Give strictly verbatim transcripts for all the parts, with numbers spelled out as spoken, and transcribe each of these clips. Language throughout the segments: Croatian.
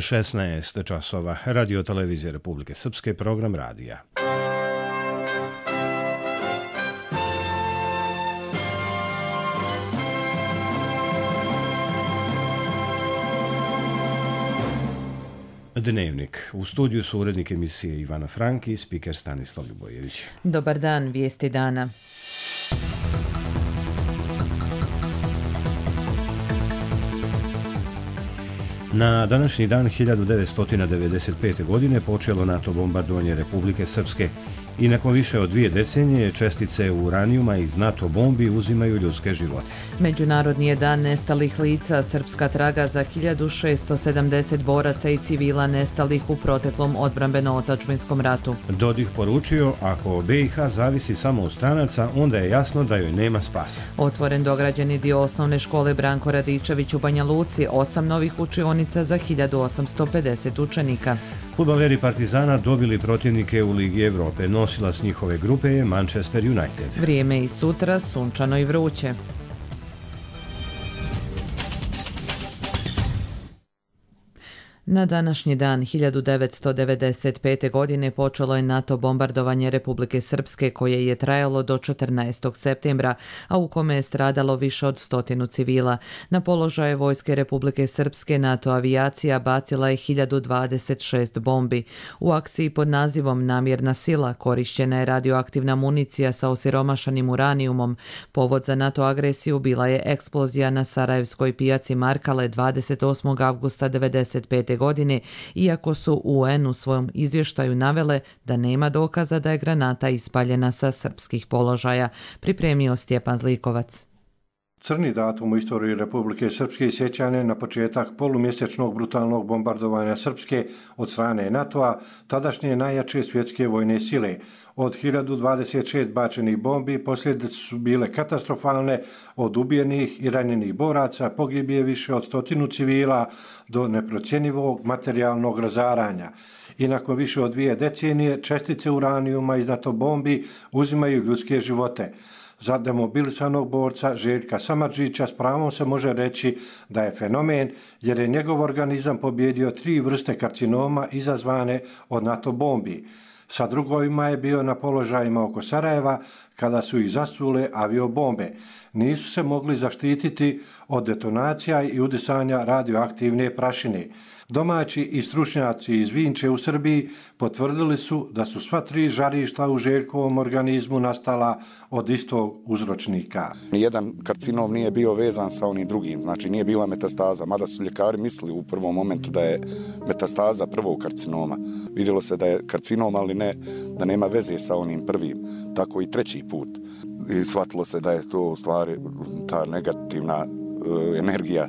šesnaest časova. Radio televizije Republike Srpske, program radija. Dnevnik. U studiju su urednik emisije Ivana Franki i spiker Stanislav Ljubojević. Dobar dan, vijesti dana. Na današnji dan hiljadu devetsto devedeset pete. godine počelo NATO bombardovanje Republike Srpske i nakon više od dvije decenije čestice uranijuma iz NATO bombi uzimaju ljudske živote. Međunarodni je dan nestalih lica. Srpska traga za hiljadu šesto sedamdeset boraca i civila nestalih u proteklom odbrambeno-otadžbinskom ratu. Dodik poručio, ako B i H zavisi samo od stranaca, onda je jasno da joj nema spasa. Otvoren dograđeni dio osnovne škole Branko Radičević u Banja Luci, osam novih učionica za hiljadu osamsto pedeset učenika. Fudbaleri Partizana dobili protivnike u Ligi Evrope. Nosilac njihove grupe je Manchester United. Vrijeme i sutra sunčano i vruće. Na današnji dan hiljadu devetsto devedeset pete. godine počelo je NATO bombardovanje Republike Srpske koje je trajalo do četrnaestog septembra, a u kome je stradalo više od stotinu civila. Na položaje vojske Republike Srpske NATO avijacija bacila je hiljadu dvadeset šest bombi. U akciji pod nazivom Namjerna sila korišćena je radioaktivna municija sa osiromašanim uranijumom. Povod za NATO agresiju bila je eksplozija na sarajevskoj pijaci Markale dvadeset osmog avgusta devedeset pete. godine, iako su U N u svojom izvještaju navele da nema dokaza da je granata ispaljena sa srpskih položaja, pripremio Stjepan Zlikovac. Crni datum u istoriji Republike Srpske sjećanje na početak polumjesečnog brutalnog bombardovanja Srpske od strane NATO-a, tadašnje najjače svjetske vojne sile. Od hiljadu dvadeset šest bačenih bombi posljedice su bile katastrofalne, od ubijenih i ranjenih boraca pogibije više od stotinu civila do neprocjenjivog materijalnog razaranja. I nakon više od dvije decenije čestice uranijuma iz NATO bombi uzimaju ljudske živote. Za demobilisanog borca Željka Samardžića s pravom se može reći da je fenomen, jer je njegov organizam pobjedio tri vrste karcinoma izazvane od NATO bombi. Sa drugovima je bio na položajima oko Sarajeva kada su ih zasule aviobombe. Nisu se mogli zaštititi od detonacija i udisanja radioaktivne prašine. Domaći i stručnjaci iz Vinče u Srbiji potvrdili su da su sva tri žarišta u Željkovom organizmu nastala od istog uzročnika. Nijedan karcinom nije bio vezan sa onim drugim, znači nije bila metastaza, mada su ljekari mislili u prvom momentu da je metastaza prvog karcinoma. Vidjelo se da je karcinom, ali ne, da nema veze sa onim prvim, tako i treći put. I shvatilo se da je to u stvari ta negativna uh, energija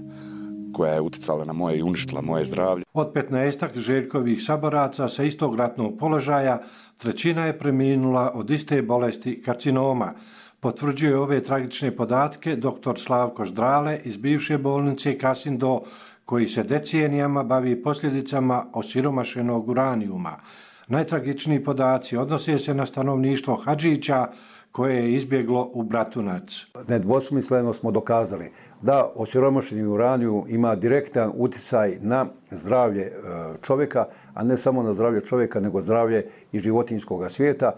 koja je utjecala na moje i uništila moje zdravlje. Od petnaestak Željkovih saboraca sa istog ratnog položaja, trećina je preminula od iste bolesti karcinoma. Potvrđuje ove tragične podatke doktor Slavko Ždrale iz bivše bolnice Kasindo, koji se decenijama bavi posljedicama osiromašenog uranijuma. Najtragičniji podaci odnose se na stanovništvo Hadžića, koje je izbjeglo u Bratunac. Nedvosmisleno smo dokazali da osiromašeni uranijum ima direktan utjecaj na zdravlje čovjeka, a ne samo na zdravlje čovjeka, nego zdravlje i životinjskog svijeta.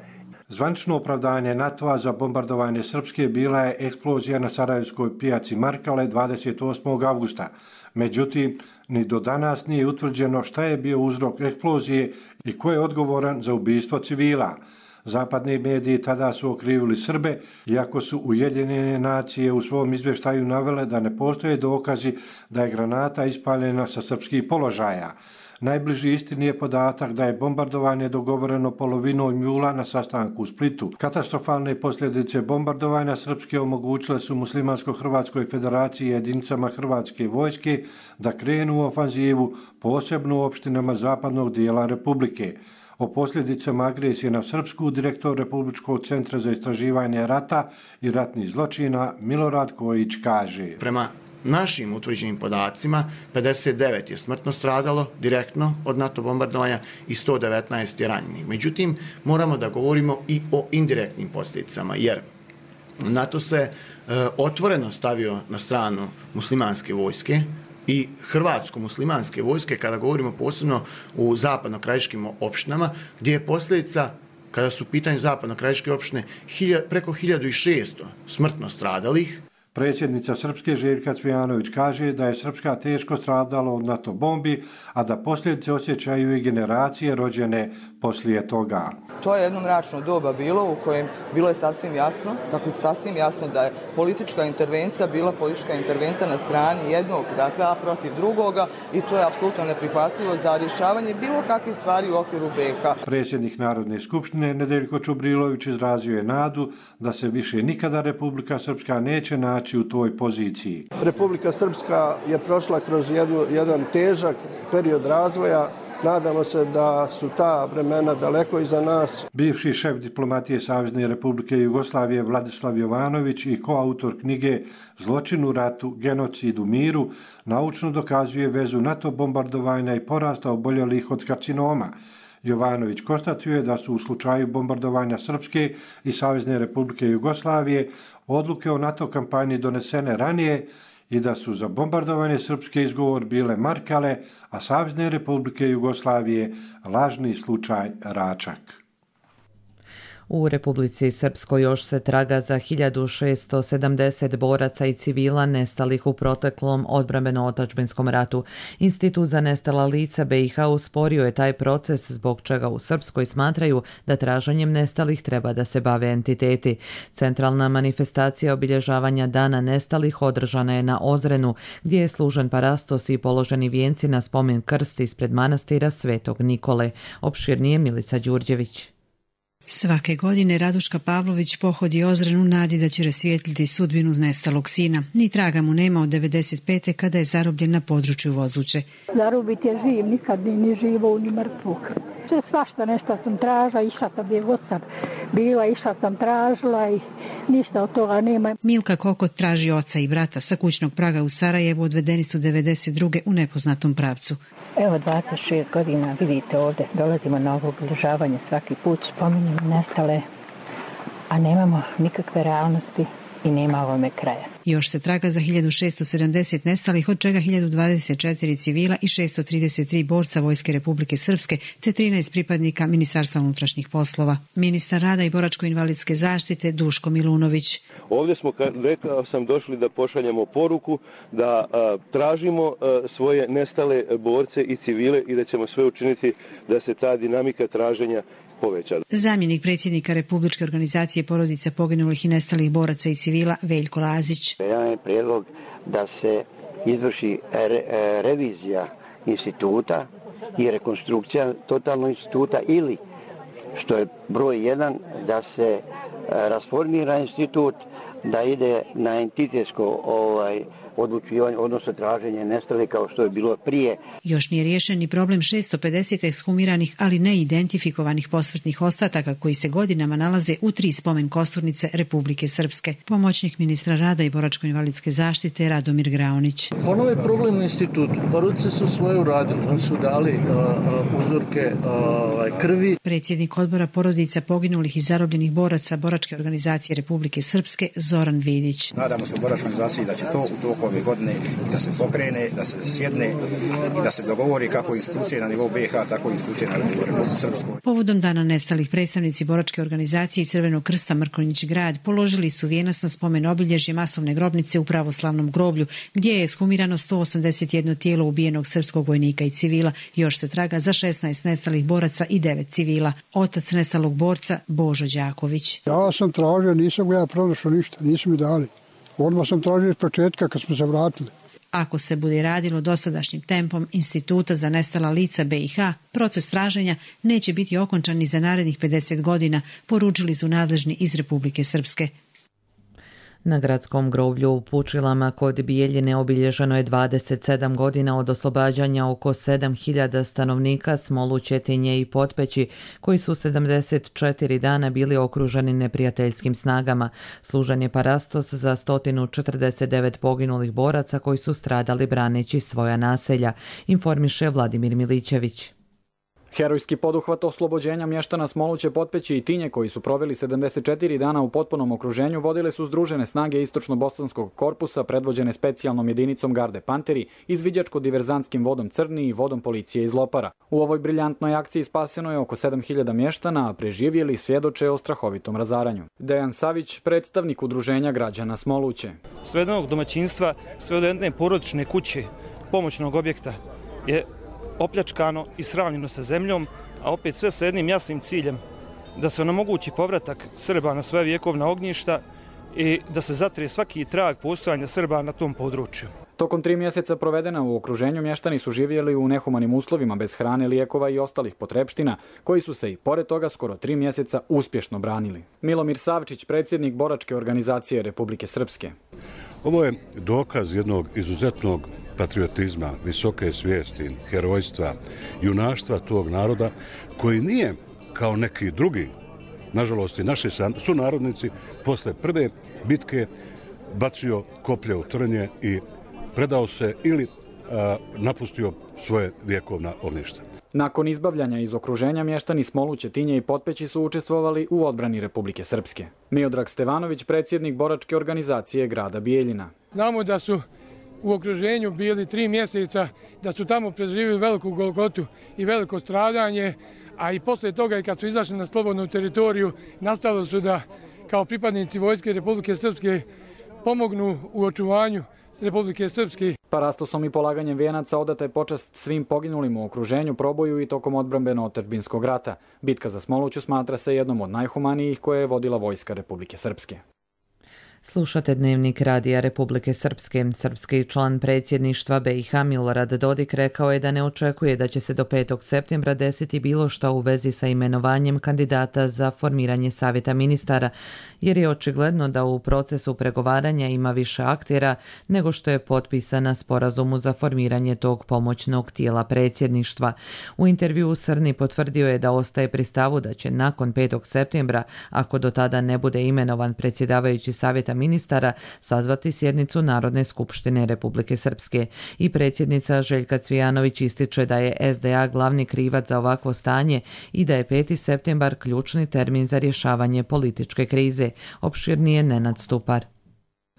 Zvanično opravdanje NATO-a za bombardovanje Srpske bila je eksplozija na sarajevskoj pijaci Markale dvadeset osmog avgusta. Međutim, ni do danas nije utvrđeno šta je bio uzrok eksplozije i ko je odgovoran za ubistvo civila. Zapadni mediji tada su okrivili Srbe, iako su Ujedinjene nacije u svom izvještaju navele da ne postoje dokazi da je granata ispaljena sa srpskih položaja. Najbliži istini je podatak da je bombardovanje dogovoreno polovinom jula na sastanku u Splitu. Katastrofalne posljedice bombardovanja Srpske omogućile su Muslimansko-Hrvatskoj federaciji i jedinicama Hrvatske vojske da krenu u ofanzivu, posebno u opštinama zapadnog dijela Republike. O posljedicama agresije na Srpsku direktor Republičkog centra za istraživanje rata i ratnih zločina Milorad Kojić kaže: Prema našim utvrđenim podacima pedeset devet je smrtno stradalo direktno od NATO bombardovanja i sto devetnaest je ranjenih. Međutim, moramo da govorimo i o indirektnim posljedicama, jer NATO se e, otvoreno stavio na stranu muslimanske vojske i hrvatsko-muslimanske vojske, kada govorimo posebno u zapadno-krajiškim opštinama, gdje je posljedica, kada su u pitanju zapadno-krajiške opštine, hilja, preko hiljadu šesto smrtno stradalih. Predsjednica Srpske Željka Cvijanović kaže da je Srpska teško stradala od NATO bombi, a da posljedice osjećaju i generacije rođene poslije toga. To je jedno mračno doba bilo u kojem bilo je sasvim jasno, dakle sasvim jasno da je politička intervencija bila politička intervencija na strani jednog, dakle, a protiv drugoga, i to je apsolutno neprihvatljivo za rješavanje bilo kakvih stvari u okviru B iH. Predsjednik Narodne skupštine Nedeljko Čubrilović izrazio je nadu da se više nikada Republika Srpska neće naći u toj poziciji. Republika Srpska je prošla kroz jednu, jedan težak period razvoja. Nadamo se da su ta vremena daleko iza nas. Bivši šef diplomatije Savezne Republike Jugoslavije Vladislav Jovanović i koautor knjige Zločin u ratu, genocid u miru naučno dokazuje vezu NATO bombardovanja i porasta oboljelih od karcinoma. Jovanović konstatuje da su u slučaju bombardovanja Srpske i Savezne Republike Jugoslavije odluke o NATO kampanji donesene ranije i da su za bombardovanje Srpske izgovor bile Markale, a Savezne Republike Jugoslavije lažni slučaj Račak. U Republici Srpskoj još se traga za hiljadu šesto sedamdeset boraca i civila nestalih u proteklom odbrambeno-otadžbinskom ratu. Institut za nestala lica B iH usporio je taj proces, zbog čega u Srpskoj smatraju da traženjem nestalih treba da se bave entiteti. Centralna manifestacija obilježavanja Dana nestalih održana je na Ozrenu, gdje je služen parastos i položeni vijenci na spomen krst ispred manastira Svetog Nikole. Opširnije Milica Đurđević. Svake godine Raduška Pavlović pohodi Ozren u nadi da će rasvijetliti sudbinu nestalog sina. Ni traga mu nema od devedeset pete kada je zarobljen na području Vozuće. Zarobit je živ, nikad ni, ni živo, ni mrtvog. Sve svašta nešto sam tražila, išla sam gdje god sam bila, išla sam tražila i ništa od toga nema. Milka Kokot traži oca i brata. Sa kućnog praga u Sarajevu odvedeni su devedeset druge u nepoznatom pravcu. Evo dvadeset šest godina, vidite ovdje, dolazimo na ovo obilježavanje svaki put, spominjemo nestale, a nemamo nikakve realnosti i nema ovome kraja. Još se traga za hiljadu šesto sedamdeset nestalih, od čega hiljadu dvadeset četiri civila i šesto trideset tri borca Vojske Republike Srpske te trinaest pripadnika Ministarstva unutrašnjih poslova. Ministar rada i boračko-invalidske zaštite Duško Milunović. Ovdje smo, rekao sam, došli da pošaljemo poruku, da a, tražimo a, svoje nestale borce i civile i da ćemo sve učiniti da se ta dinamika traženja poveća. Zamjenik predsjednika Republičke organizacije porodica poginulih i nestalih boraca i civila Veljko Lazić. Jedan je prijedlog da se izvrši re, revizija instituta i rekonstrukcija totalnog instituta, ili, što je broj jedan, da se rasformira institut, da ide na entitetsko ovaj, odlučivanje, odnosno traženje nestalih kao što je bilo prije. Još nije riješen ni problem šesto pedeset ekshumiranih, ali ne identifikovanih posmrtnih ostataka koji se godinama nalaze u tri spomen kosturnice Republike Srpske. Pomoćnik ministra rada i boračko-invalidske zaštite Radomir Graonić. Ponovo je problem u institutu. Porodice su svoje uradili. Oni su dali uh, uh, uzorke uh, krvi. Predsjednik odbora porodica poginulih i zarobljenih boraca Boračke organizacije Republike Srpske Zoran Vidić. Nadamo se u Boračkoj organizaciji da će to u toku ove godine da se pokrene, da se sjedne i da se dogovori kako institucije na nivou B iH, tako i institucije na nivou Republike Srpskoj. Povodom dana nestalih predstavnici Boračke organizacije i Crvenog krsta Mrkonjić grad položili su vijenac na spomen obilježje masovne grobnice u pravoslavnom groblju, gdje je ekshumirano sto osamdeset jedno tijelo ubijenog srpskog vojnika i civila. Još se traga za šesnaest nestalih boraca i devet civila. Otac nestalog borca Božo Đaković. Ja sam tražio, nisam ja pronašao ništa, nisu mi dali. Odmah sam tražio iz početka kad smo se vratili. Ako se bude radilo dosadašnjim tempom Instituta za nestala lica B iH, proces traženja neće biti okončan ni za narednih pedeset godina, poručili su nadležni iz Republike Srpske. Na gradskom groblju u Pučilama kod Bijeljine obilježeno je dvadeset sedam godina od oslobađanja oko sedam hiljada stanovnika Smolu, Četinje i Potpeći, koji su sedamdeset četiri dana bili okruženi neprijateljskim snagama. Služen je parastos za sto četrdeset devet poginulih boraca koji su stradali braneći svoja naselja, informiše Vladimir Milićević. Herojski poduhvat oslobođenja mještana Smoluće, Potpeći i Tinje, koji su proveli sedamdeset četiri dana u potpunom okruženju, vodile su združene snage Istočno-Bosanskog korpusa predvođene specijalnom jedinicom Garde Panteri, izviđačko-diverzantskim vodom Crni i vodom policije iz Lopara. U ovoj briljantnoj akciji spaseno je oko sedam hiljada mještana, a preživjeli svjedoče o strahovitom razaranju. Dejan Savić, predstavnik udruženja građana Smoluće. Sve od jednog domaćinstva, sve od jedne porodične kuće, pomoćnog objekta je opljačkano i sravnjeno sa zemljom, a opet sve sa jednim jasnim ciljem da se onemogući povratak Srba na svoja vjekovna ognjišta i da se zatre svaki trag postojanja Srba na tom području. Tokom tri mjeseca provedena u okruženju mještani su živjeli u nehumanim uslovima bez hrane, lijekova i ostalih potrepština, koji su se i pored toga skoro tri mjeseca uspješno branili. Milomir Savčić, predsjednik boračke organizacije Republike Srpske. Ovo je dokaz jednog izuzetnog patriotizma, visoke svijesti, herojstva, junaštva tog naroda koji nije kao neki drugi, nažalost i naši sunarodnici, posle prve bitke bacio koplje u trnje i predao se ili a, napustio svoje vjekovna ognjišta. Nakon izbavljanja iz okruženja mještani Smoluće, Tinje i Potpeći su učestvovali u odbrani Republike Srpske. Miodrag Stevanović, predsjednik boračke organizacije grada Bijeljina. Znamo da su u okruženju bili tri mjeseca, da su tamo preživjeli veliku golgotu i veliko stradanje, a i posle toga i kad su izašli na slobodnu teritoriju, nastalo su da kao pripadnici vojske Republike Srpske pomognu u očuvanju Republike Srpske. Parastosom i polaganjem vijenaca odata je počast svim poginulim u okruženju, proboju i tokom odbrambeno-otadžbinskog rata. Bitka za Smoluću smatra se jednom od najhumanijih koje je vodila vojska Republike Srpske. Slušate Dnevnik Radija Republike Srpske. Srpski član predsjedništva B i H Milorad Dodik rekao je da ne očekuje da će se do petog septembra desiti bilo šta u vezi sa imenovanjem kandidata za formiranje savjeta ministara, jer je očigledno da u procesu pregovaranja ima više aktera nego što je potpisana sporazumu za formiranje tog pomoćnog tijela predsjedništva. U intervjuu Srni potvrdio je da ostaje pri stavu da će nakon petog septembra, ako do tada ne bude imenovan predsjedavajući savjeta ministara, sazvati sjednicu Narodne skupštine Republike Srpske. I predsjednica Željka Cvijanović ističe da je S D A glavni krivac za ovakvo stanje i da je peti septembar ključni termin za rješavanje političke krize. Opširnije Nenad Stupar.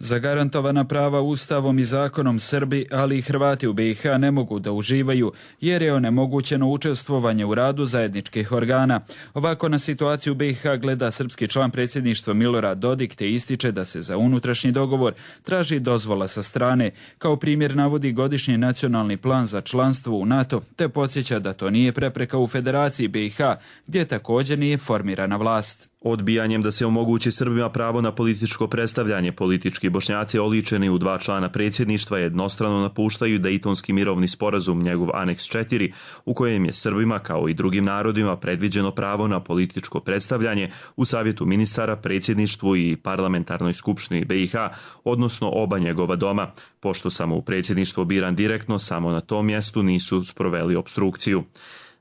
Zagarantovana prava Ustavom i zakonom Srbi, ali i Hrvati u B i H ne mogu da uživaju jer je onemogućeno učestvovanje u radu zajedničkih organa. Ovako na situaciju u B i H gleda srpski član predsjedništva Milorad Dodik te ističe da se za unutrašnji dogovor traži dozvola sa strane. Kao primjer navodi godišnji nacionalni plan za članstvo u NATO te podsjeća da to nije prepreka u Federaciji B i H gdje također nije formirana vlast. Odbijanjem da se omogući Srbima pravo na političko predstavljanje, politički Bošnjaci oličeni u dva člana predsjedništva jednostrano napuštaju Dejtonski mirovni sporazum, njegov aneks četiri, u kojem je Srbima kao i drugim narodima predviđeno pravo na političko predstavljanje u Savjetu ministara, predsjedništvu i parlamentarnoj skupštini B i H, odnosno oba njegova doma, pošto samo u predsjedništvo biran direktno, samo na tom mjestu nisu sproveli opstrukciju.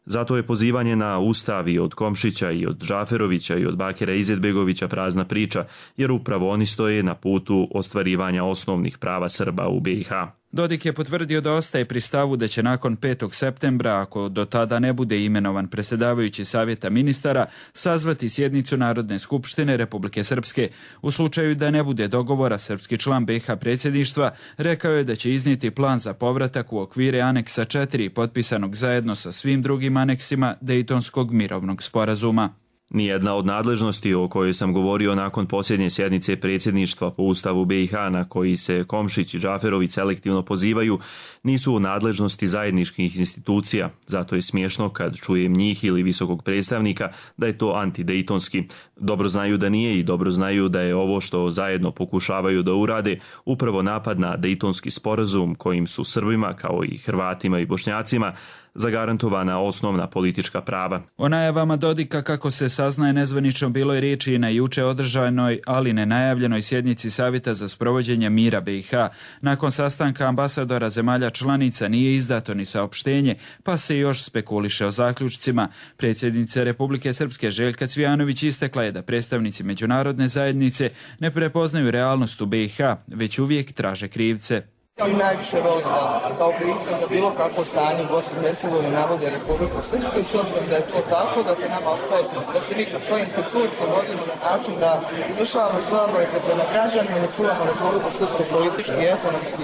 Zato je pozivanje na Ustav i od Komšića i od Džaferovića i od Bakira Izetbegovića prazna priča, jer upravo oni stoje na putu ostvarivanja osnovnih prava Srba u B i H. Dodik je potvrdio da ostaje pri stavu da će nakon petog septembra, ako do tada ne bude imenovan predsjedavajući savjeta ministara, sazvati sjednicu Narodne skupštine Republike Srpske. U slučaju da ne bude dogovora, srpski član B i H predsjedništva rekao je da će iznijeti plan za povratak u okvire aneksa četiri potpisanog zajedno sa svim drugim aneksima Dejtonskog mirovnog sporazuma. Nijedna od nadležnosti o kojoj sam govorio nakon posljednje sjednice predsjedništva po Ustavu B i H na koji se Komšić i Džaferović selektivno pozivaju nisu u nadležnosti zajedničkih institucija. Zato je smiješno kad čujem njih ili visokog predstavnika da je to antidejtonski. Dobro znaju da nije i dobro znaju da je ovo što zajedno pokušavaju da urade upravo napad na Dejtonski sporazum kojim su Srbima kao i Hrvatima i Bošnjacima zagarantovana osnovna politička prava. O najavama Dodika, kako se saznaje nezvanično, bilo je riječi i na juče održanoj, ali nenajavljenoj sjednici Savjeta za sprovođenje mira B i H. Nakon sastanka ambasadora zemalja članica nije izdato ni saopštenje, pa se još spekuliše o zaključcima. Predsjednica Republike Srpske Željka Cvijanović istakla je da predstavnici međunarodne zajednice ne prepoznaju realnost u B i H, već uvijek traže krivce. I najviše voli da kao krivca za bilo kakvo stanje u Bosni i Hercegovini navode Republiku Srpsku i s obzirom da je to tako, dakle nama ostaje da se mi kroz svoje institucije vodimo na način da izvršavamo svoje obaveze prema građanima i da čuvamo Republiku Srpsku politički i ekonomski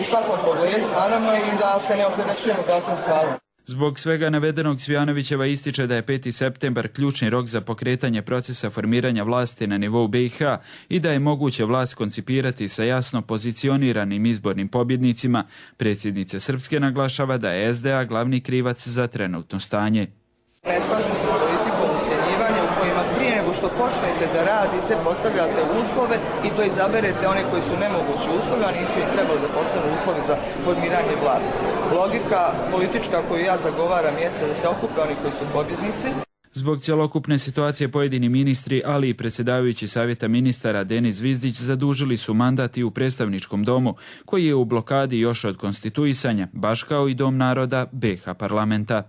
u svakom pogledu, naravno i da se ne opterećujemo takvim stvarima. Zbog svega navedenog Cvijanovićeva ističe da je peti septembar ključni rok za pokretanje procesa formiranja vlasti na nivou B i H i da je moguće vlast koncipirati sa jasno pozicioniranim izbornim pobjednicima. Predsjednica Srpske naglašava da je S D A glavni krivac za trenutno stanje. Ne slažem se s politikom ucjenjivanja u kojima prije nego što počnete da radite postavljate uslove i to izaberete one koji su nemogući uslovi, a nisu i trebali da postanu uslovi za formiranje vlasti. Logika politička koju ja zagovaram jeste da se okupe oni koji su pobjednici. Zbog cjelokupne situacije pojedini ministri, ali i predsjedavajući savjeta ministara Denis Zvizdić zadužili su mandat i u predstavničkom domu, koji je u blokadi još od konstituisanja, baš kao i Dom naroda B i H parlamenta.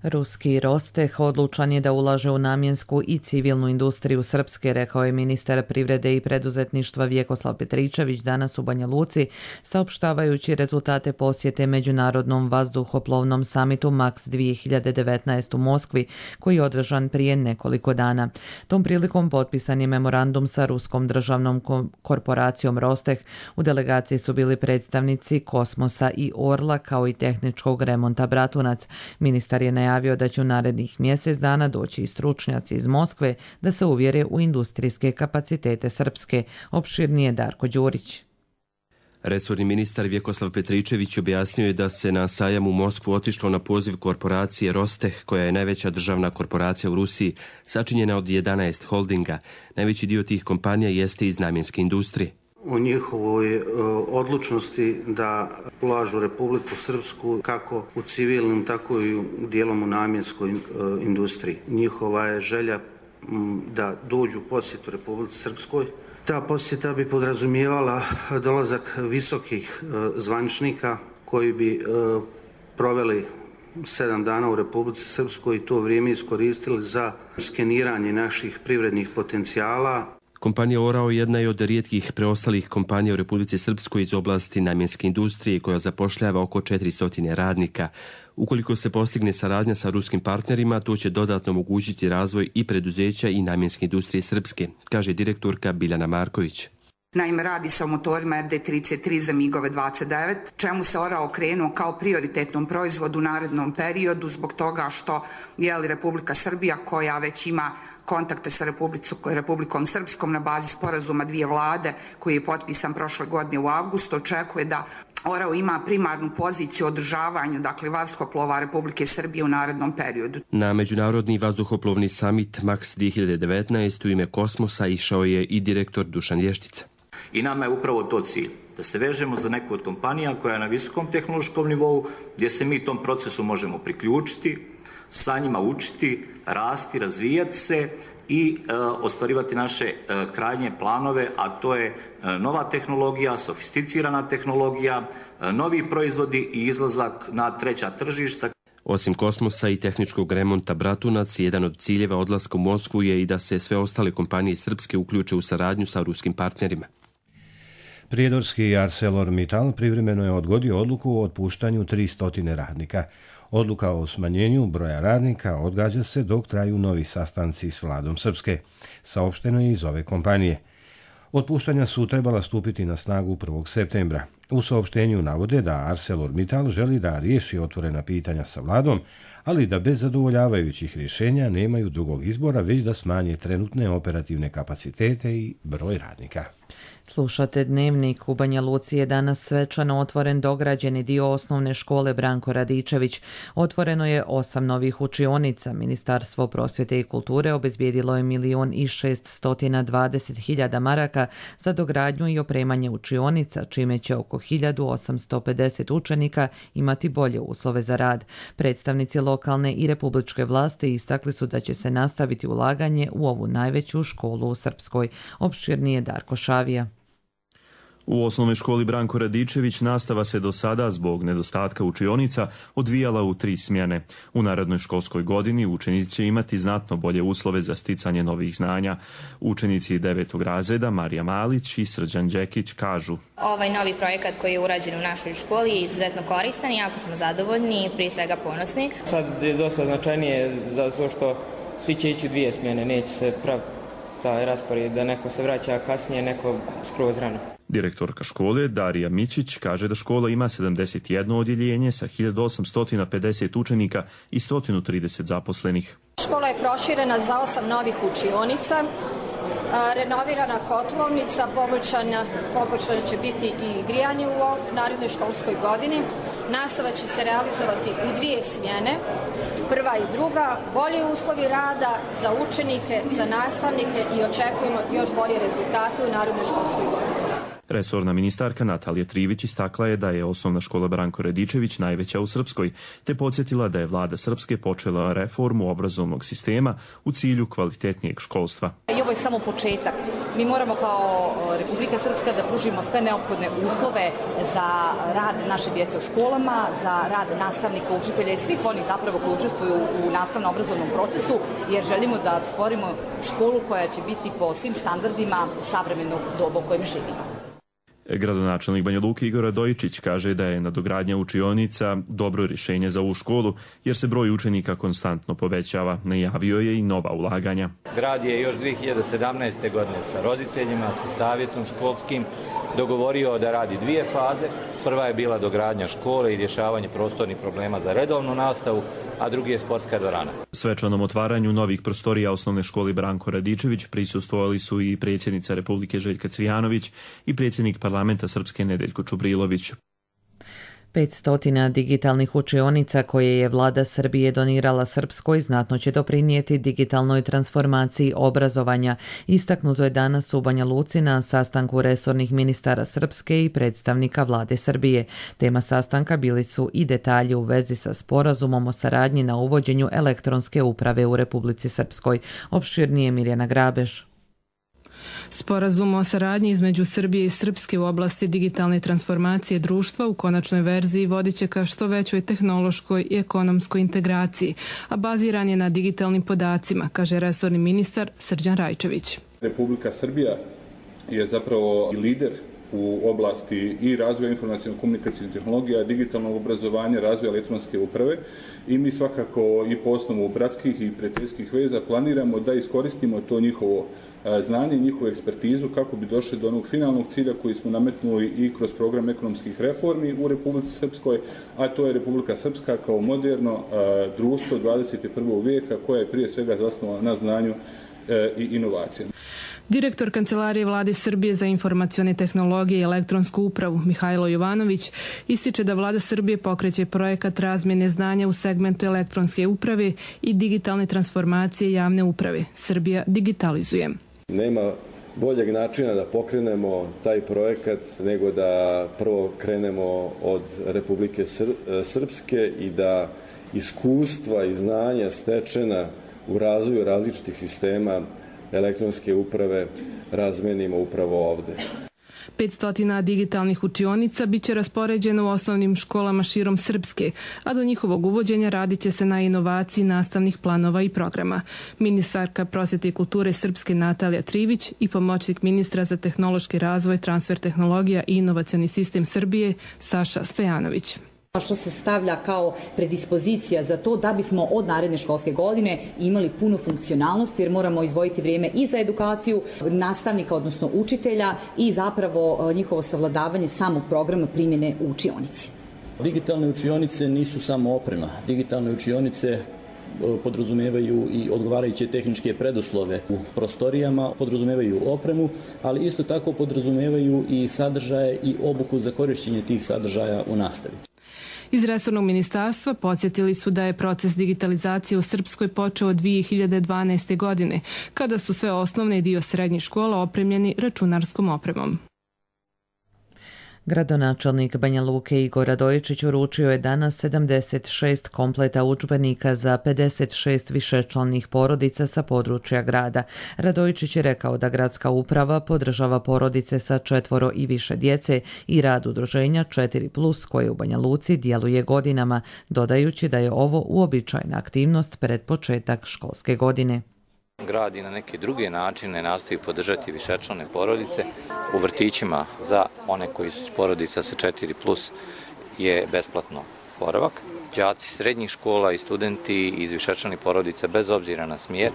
Ruski Rosteh odlučan je da ulaže u namjensku i civilnu industriju Srpske, rekao je ministar privrede i preduzetništva Vjekoslav Petričević danas u Banja Luci, saopštavajući rezultate posjete Međunarodnom vazduhoplovnom samitu Maks dvije hiljade devetnaest u Moskvi, koji je održan prije nekoliko dana. Tom prilikom potpisan je memorandum sa ruskom državnom korporacijom Rosteh. U delegaciji su bili predstavnici Kosmosa i Orla, kao i tehničkog remonta Bratunac. Ministar je najavio da će u narednih mjesec dana doći i stručnjaci iz Moskve da se uvjere u industrijske kapacitete Srpske. Opširnije Darko Đurić. Resorni ministar Vjekoslav Petričević objasnio je da se na sajam u Moskvu otišlo na poziv korporacije Rosteh, koja je najveća državna korporacija u Rusiji, sačinjena od jedanaest holdinga. Najveći dio tih kompanija jeste iz namjenske industrije. O njihovoj odlučnosti da ulažu Republiku Srpsku kako u civilnom, tako i dijelom u namjenskoj industriji. Njihova je želja da dođu u posjetu Republici Srpskoj. Ta posjeta bi podrazumijevala dolazak visokih zvaničnika koji bi proveli sedam dana u Republici Srpskoj i to vrijeme iskoristili za skeniranje naših privrednih potencijala. Kompanija Orao jedna je od rijetkih preostalih kompanija u Republici Srpskoj iz oblasti namjenske industrije koja zapošljava oko četiristo radnika. Ukoliko se postigne saradnja sa ruskim partnerima, to će dodatno omogućiti razvoj i preduzeća i namjenske industrije Srpske, kaže direktorka Biljana Marković. Naime, radi se o motorima R D trideset tri za migove dvadeset devet, čemu se Orao okrenuo kao prioritetnom proizvodu u narednom periodu zbog toga što je li Republika Srbija, koja već ima kontakte sa Republikom Srpskom na bazi sporazuma dvije vlade koji je potpisan prošle godine u avgustu, očekuje da Orao ima primarnu poziciju u održavanju, dakle, vazduhoplova Republike Srbije u narednom periodu. Na Međunarodni vazduhoplovni samit Maks dvije hiljade devetnaest u ime Kosmosa išao je i direktor Dušan Lještica. I nama je upravo to cilj, da se vežemo za neku od kompanija koja je na visokom tehnološkom nivou, gdje se mi tom procesu možemo priključiti, sa njima učiti, rasti, razvijati se i e, ostvarivati naše e, krajnje planove, a to je e, nova tehnologija, sofisticirana tehnologija, e, novi proizvodi i izlazak na treća tržišta. Osim Kosmosa i tehničkog remonta Bratunac, jedan od ciljeva odlaska u Moskvu je i da se sve ostale kompanije Srpske uključe u saradnju sa ruskim partnerima. Prijedorski ArcelorMittal privremeno je odgodio odluku o otpuštanju tristo radnika. Odluka o smanjenju broja radnika odgađa se dok traju novi sastanci s vladom Srpske, saopšteno je iz ove kompanije. Otpuštanja su trebala stupiti na snagu prvog septembra. U saopštenju navode da ArcelorMittal želi da riješi otvorena pitanja sa vladom, ali da bez zadovoljavajućih rješenja nemaju drugog izbora, već da smanje trenutne operativne kapacitete i broj radnika. Slušate Dnevnik. U Banja Luci je danas svečano otvoren dograđeni dio osnovne škole Branko Radičević. Otvoreno je osam novih učionica. Ministarstvo prosvjete i kulture obezbijedilo je milion i šeststotina dvadeset hiljada maraka za dogradnju i opremanje učionica, čime će oko hiljadu osamsto pedeset učenika imati bolje uslove za rad. Predstavnici lokalne i republičke vlasti istakli su da će se nastaviti ulaganje u ovu najveću školu u Srpskoj. Opširnije Darko Šavija. U osnovnoj školi Branko Radičević nastava se do sada zbog nedostatka učionica odvijala u tri smjene. U narednoj školskoj godini učenici će imati znatno bolje uslove za sticanje novih znanja. Učenici devetog razreda Marija Malić i Srđan Đekić kažu: Ovaj novi projekat koji je urađen u našoj školi je izuzetno koristan i jako smo zadovoljni i prije svega ponosni. Sad je dosta značajnije zato što svi će ići u dvije smjene, neće se praviti taj raspored da neko se vraća kasnije, neko skroz rano. Direktorka škole Darija Mićić kaže da škola ima sedamdeset jedno odjeljenje sa hiljadu osamsto pedeset učenika i sto trideset zaposlenih. Škola je proširena za osam novih učionica, renovirana kotlovnica, poboljšano će biti i grijanje u narednoj školskoj godini. Nastava će se realizovati u dvije smjene, prva i druga, bolji uslovi rada za učenike, za nastavnike i očekujemo još bolje rezultate u narednoj školskoj godini. Resorna ministarka Natalija Trivić istakla je da je osnovna škola Branko Radičević najveća u Srpskoj, te podsjetila da je vlada Srpske počela reformu obrazovnog sistema u cilju kvalitetnijeg školstva. I ovo je samo početak. Mi moramo kao Republika Srpska da pružimo sve neophodne uslove za rad naše djece u školama, za rad nastavnika, učitelja i svih onih zapravo koji učestvuju u nastavno-obrazovnom procesu, jer želimo da stvorimo školu koja će biti po svim standardima savremenog doba u kojem živimo. Gradonačelnik Banja Luke Igor Radojičić kaže da je nadogradnja učionica dobro rješenje za ovu školu jer se broj učenika konstantno povećava. Najavio je i nova ulaganja. Grad je još dvije hiljade sedamnaeste. godine sa roditeljima, sa savjetom školskim dogovorio da radi dvije faze. Prva je bila dogradnja škole i rješavanje prostornih problema za redovnu nastavu, a drugi je sportska dvorana. Svečanom otvaranju novih prostorija osnovne škole Branko Radičević prisustvovali su i predsjednica Republike Željka Cvijanović i predsjednik parlamenta Srpske Nedeljko Čubrilović. petsto digitalnih učionica koje je vlada Srbije donirala Srpskoj znatno će doprinijeti digitalnoj transformaciji obrazovanja. Istaknuto je danas u Banja Luci na sastanku resornih ministara Srpske i predstavnika vlade Srbije. Tema sastanka bili su i detalji u vezi sa sporazumom o saradnji na uvođenju elektronske uprave u Republici Srpskoj. Opširnije Mirjana Grabež. Sporazum o saradnji između Srbije i Srpske u oblasti digitalne transformacije društva u konačnoj verziji vodit će ka što većoj tehnološkoj i ekonomskoj integraciji, a baziran je na digitalnim podacima, kaže resorni ministar Srđan Rajčević. Republika Srbija je zapravo lider u oblasti i razvoja informacijno-komunikacijnih tehnologija, digitalnog obrazovanja, razvoja elektronske uprave i mi svakako i po osnovu bratskih i prijateljskih veza planiramo da iskoristimo to njihovo znanje i njihovu ekspertizu kako bi došli do onog finalnog cilja koji smo nametnuli i kroz program ekonomskih reformi u Republici Srpskoj, a to je Republika Srpska kao moderno društvo dvadeset prvog vijeka koja je prije svega zasnovana na znanju i inovacijama. Direktor Kancelarije Vlade Srbije za informacione tehnologije i elektronsku upravu Mihajlo Jovanović ističe da Vlada Srbije pokreće projekat razmjene znanja u segmentu elektronske uprave i digitalne transformacije javne uprave. Srbija digitalizuje. Nema boljeg načina da pokrenemo taj projekat nego da prvo krenemo od Republike Srpske i da iskustva i znanja stečena u razvoju različitih sistema elektronske uprave razmenimo upravo ovde. petsto digitalnih učionica biće raspoređeno u osnovnim školama širom Srpske, a do njihovog uvođenja radit će se na inovaciji nastavnih planova i programa. Ministarka prosvete i kulture Srpske Natalija Trivić i pomoćnik ministra za tehnološki razvoj, transfer tehnologija i inovacioni sistem Srbije Saša Stojanović. Što se stavlja kao predispozicija za to da bismo od naredne školske godine imali punu funkcionalnost, jer moramo izdvojiti vrijeme i za edukaciju nastavnika, odnosno učitelja, i zapravo njihovo savladavanje samog programa primjene u učionici. Digitalne učionice nisu samo oprema. Digitalne učionice podrazumevaju i odgovarajuće tehničke preduslove u prostorijama, podrazumevaju opremu, ali isto tako podrazumevaju i sadržaje i obuku za korišćenje tih sadržaja u nastavi. Iz resornog ministarstva podsjetili su da je proces digitalizacije u Srpskoj počeo od dvije hiljade dvanaeste. godine, kada su sve osnovne i dio srednjih škola opremljeni računarskom opremom. Gradonačelnik Banja Luke Igor Radojičić uručio je danas sedamdeset šest kompleta udžbenika za pedeset šest višečlanih porodica sa područja grada. Radojičić je rekao da gradska uprava podržava porodice sa četvoro i više djece i rad udruženja četiri plus koje u Banja Luci djeluje godinama, dodajući da je ovo uobičajena aktivnost pred početak školske godine. Grad i na neke druge načine nastoji podržati višečlane porodice. U vrtićima za one koji su porodica sa četiri plus je besplatno boravak. Đaci srednjih škola i studenti iz višečlanih porodica bez obzira na smjer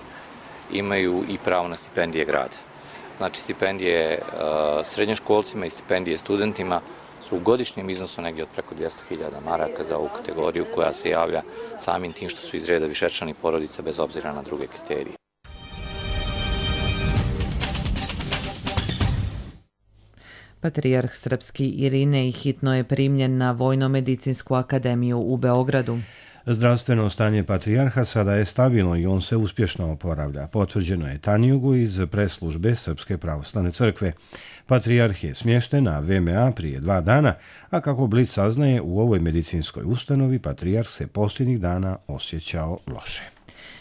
imaju i pravo na stipendije grada. Znači stipendije uh, srednjoškolcima i stipendije studentima su u godišnjem iznosu negdje od preko dvjesto hiljada maraka za ovu kategoriju koja se javlja samim tim što su iz reda višečlanih porodica bez obzira na druge kriterije. Patrijarh srpski Irinej hitno je primljen na Vojno-medicinsku akademiju u Beogradu. Zdravstveno stanje patrijarha sada je stabilno i on se uspješno oporavlja. Potvrđeno je Tanjugu iz presslužbe Srpske pravoslavne crkve. Patrijarh je smješten na V M A prije dva dana, a kako Blic saznaje, u ovoj medicinskoj ustanovi patrijarh se posljednjih dana osjećao loše.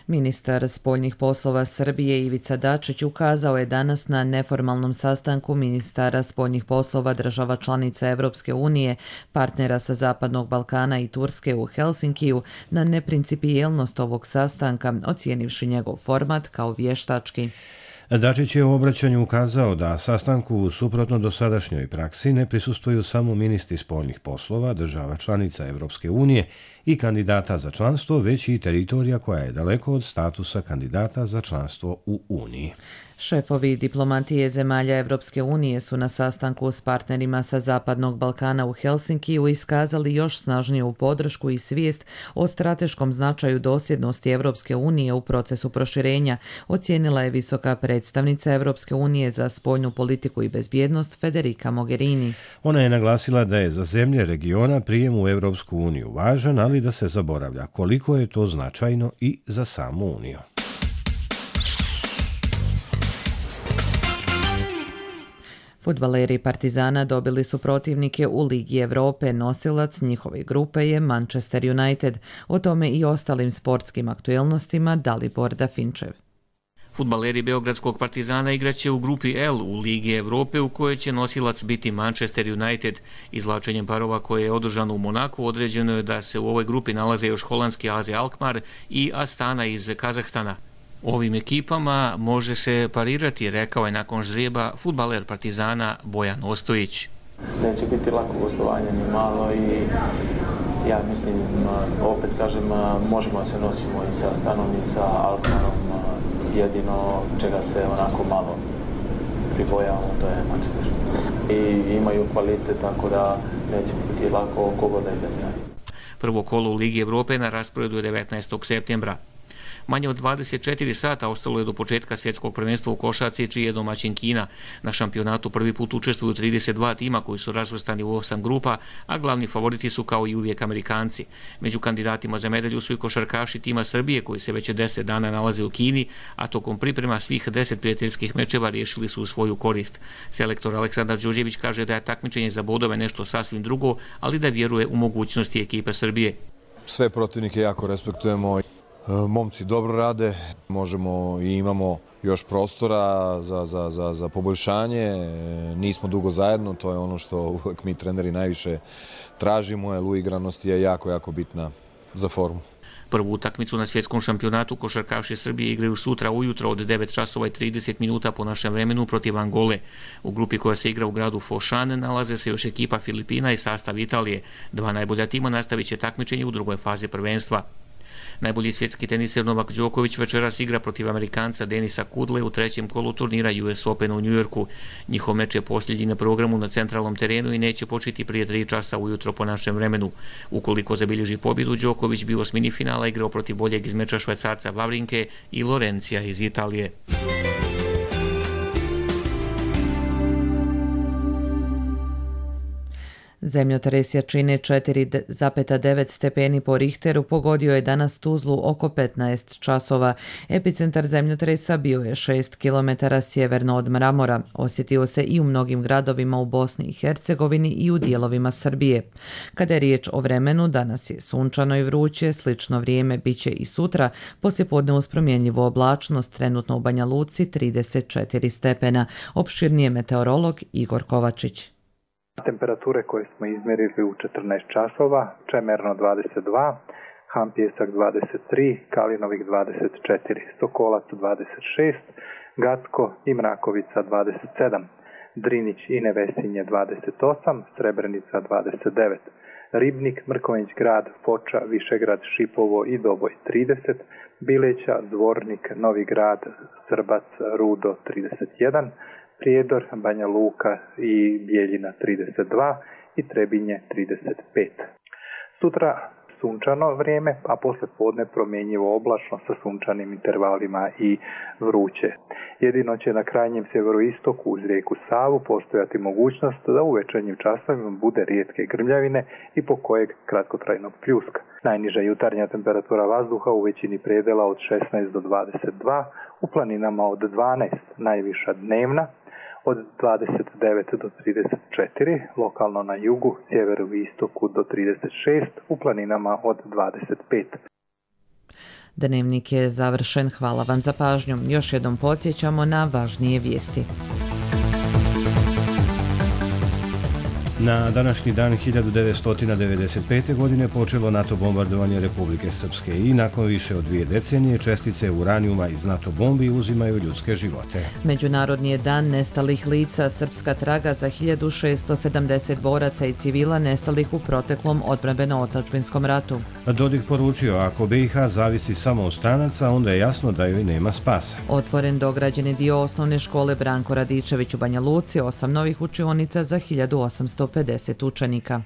Ministar spoljnih poslova Srbije Ivica Dačić ukazao je danas na neformalnom sastanku ministara spoljnih poslova država članica Evropske unije, partnera sa Zapadnog Balkana i Turske u Helsinkiju na neprincipijelnost ovog sastanka, ocijenivši njegov format kao vještački. Dačić je u obraćanju ukazao da sastanku suprotno dosadašnjoj praksi ne prisustvuju samo ministri spoljnih poslova država članica Evropske unije i kandidata za članstvo, već i teritorija koja je daleko od statusa kandidata za članstvo u Uniji. Šefovi diplomatije zemalja Evropske unije su na sastanku s partnerima sa Zapadnog Balkana u Helsinkiju iskazali još snažniju podršku i svijest o strateškom značaju dosljednosti Evropske unije u procesu proširenja, ocijenila je visoka predstavnica Evropske unije za spoljnu politiku i bezbjednost Federica Mogherini. Ona je naglasila da je za zemlje regiona prijem u Evropsku uniju važan, ali da se zaboravlja koliko je to značajno i za samu Uniju. Fudbaleri Partizana dobili su protivnike u Ligi Evrope. Nosilac njihove grupe je Manchester United. O tome i ostalim sportskim aktuelnostima Dalibor Dafinčev. Fudbaleri Beogradskog Partizana igraće u grupi L u Ligi Evrope u kojoj će nosilac biti Manchester United. Izvlačenjem parova koje je održano u Monaku određeno je da se u ovoj grupi nalaze još holandski A Z Alkmaar i Astana iz Kazahstana. Ovim ekipama može se parirati, rekao je nakon žreba fudbaler Partizana Bojan Ostojić. Neće biti lako gostovanje ni malo i ja mislim, opet kažem, možemo se nosimo i sa Astanom i sa Alkmaarom, jedino čega se onako malo pribojavamo, to je Manchester. I imaju kvalitet, tako da neće biti lako kogo da izađe. Prvo kolo u Ligi Evrope na rasporedu je devetnaestog septembra. Manje od dvadeset četiri sata ostalo je do početka svjetskog prvenstva u košarci, čiji je domaćin Kina. Na šampionatu prvi put učestvuju trideset dva tima koji su razvrstani u osam grupa, a glavni favoriti su kao i uvijek Amerikanci. Među kandidatima za medalju su i košarkaši tima Srbije koji se već deset dana nalaze u Kini, a tokom priprema svih deset prijateljskih mečeva riješili su u svoju korist. Selektor Aleksandar Đurđević kaže da je takmičenje za bodove nešto sasvim drugo, ali da vjeruje u mogućnosti ekipe Srbije. Sve protivnike jako respektujemo. Momci dobro rade, možemo i imamo još prostora za, za, za, za poboljšanje, nismo dugo zajedno, to je ono što uvijek mi treneri najviše tražimo, jer uigranost je jako, jako bitna za formu. Prvu utakmicu na svjetskom šampionatu košarkaši Srbije igraju sutra ujutro od devet časova i trideset minuta po našem vremenu protiv Angole. U grupi koja se igra u gradu Foshan nalaze se još ekipa Filipina i sastav Italije. Dva najbolja tima nastavit će takmičenje u drugoj fazi prvenstva. Najbolji svjetski teniser Novak Đoković večeras igra protiv Amerikanca Denisa Kudle u trećem kolu turnira U S Open u Njujorku. Njihov meč je posljednji na programu na centralnom terenu i neće početi prije tri časa ujutro po našem vremenu. Ukoliko zabilježi pobjedu, Đoković bi u osmini finala igrao protiv boljeg iz meča Švajcarca Vavrinke i Lorencija iz Italije. Zemljotres jačine četiri zarez devet stepeni po Richteru pogodio je danas Tuzlu oko petnaest časova. Epicentar zemljotresa bio je šest kilometara sjeverno od Mramora. Osjetio se i u mnogim gradovima u Bosni i Hercegovini i u dijelovima Srbije. Kada je riječ o vremenu, danas je sunčano i vruće, slično vrijeme biće i sutra, poslijepodne uz promjenjivu oblačnost, trenutno u Banja Luci trideset četiri stepena. Opširnije meteorolog Igor Kovačić. Temperature koje smo izmjerili u četrnaest časova, Čemerno dvadeset dva, Han Pjesak dvadeset tri, Kalinovik dvadeset četiri, Sokolac dvadeset šest, Gacko i Mrakovica dvadeset sedam, Drinić i Nevesinje dvadeset osam, Srebrenica dvadeset devet, Ribnik, Mrkonjić Grad, Foča, Višegrad, Šipovo i Doboj trideset, Bileća, Zvornik, Novi Grad, Srbac, Rudo trideset jedan, Prijedor, Banja Luka i Bijeljina trideset dva i Trebinje trideset pet. Sutra sunčano vrijeme, a posle podne promjenjivo oblačno sa sunčanim intervalima i vruće. Jedino će na krajnjem sjeveroistoku uz rijeku Savu postojati mogućnost da u večernjim časovima bude rijetke grmljavine i po kojeg kratkotrajnog pljuska. Najniža jutarnja temperatura vazduha u većini predela od šesnaest do dvadeset dva, u planinama od dvanaest, najviša dnevna od dvadeset devet do trideset četiri, lokalno na jugu, sjeveru i istoku do trideset šest, u planinama od dvadeset pet. Dnevnik je završen. Hvala vam za pažnju. Još jednom podsjećamo na važnije vijesti. Na današnji dan hiljadu devetsto devedeset pete. godine počelo NATO bombardovanje Republike Srpske i nakon više od dvije decenije čestice uranijuma iz NATO bombi uzimaju ljudske živote. Međunarodni je dan nestalih lica. Srpska traga za hiljadu šesto sedamdeset boraca i civila nestalih u proteklom odbrambeno-otadžbinskom ratu. Dodik poručio, ako B i H zavisi samo od stranaca, onda je jasno da joj nema spasa. Otvoren dograđeni dio osnovne škole Branko Radičević u Banja Luci, osam novih učionica za hiljadu osamsto pedeset učenika.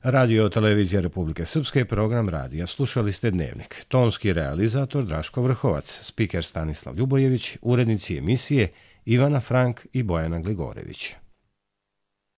Radio Televizija Republike Srpske, program radija. Slušali ste Dnevnik. Tonski realizator Draško Vrhovac, spiker Stanislav Ljubojević, urednici emisije Ivana Frank i Bojana Gligorević.